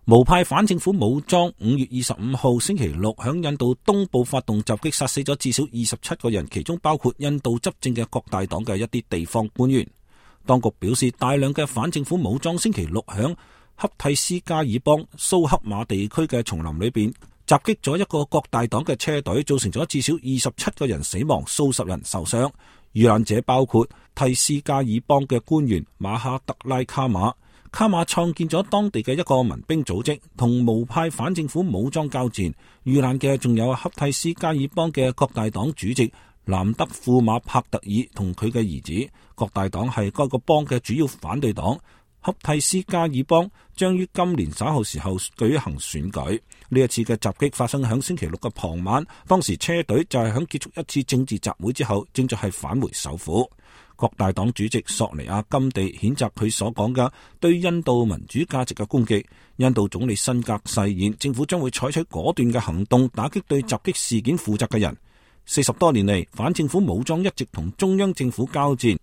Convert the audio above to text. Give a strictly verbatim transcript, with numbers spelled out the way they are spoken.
無派反政府武裝五月二十五號星期六響印度東部發動襲擊，殺死咗至少二十七個人，其中包括印度執政嘅各大黨嘅一啲地方官員。當局表示，大量嘅反政府武裝星期六響恰蒂斯加爾邦蘇克馬地區嘅叢林裏邊襲擊咗一個各大黨嘅車隊，造成咗至少二十七個人死亡，數十人受傷。遇難者包括蒂斯加爾邦嘅官員馬哈德拉卡馬。卡馬創建咗當地嘅一個民兵組織，同無派反政府武裝交戰。遇難嘅仲有恰蒂斯加爾邦嘅各大黨主席南德庫馬帕特爾同佢嘅兒子。各大黨係該個邦嘅主要反對黨。恰蒂斯加爾邦將於今年稍後時候舉行選舉。呢一次嘅襲擊發生響星期六嘅傍晚，當時車隊就係響結束一次政治集會之後，正在係返回首府。各大黨主席索尼亞甘地譴責佢所講嘅對印度民主價值嘅攻擊。印度總理辛格誓言，政府將會採取果斷嘅行動，打擊對襲擊事件負責嘅人。四十多年嚟，反政府武裝一直同中央政府交戰。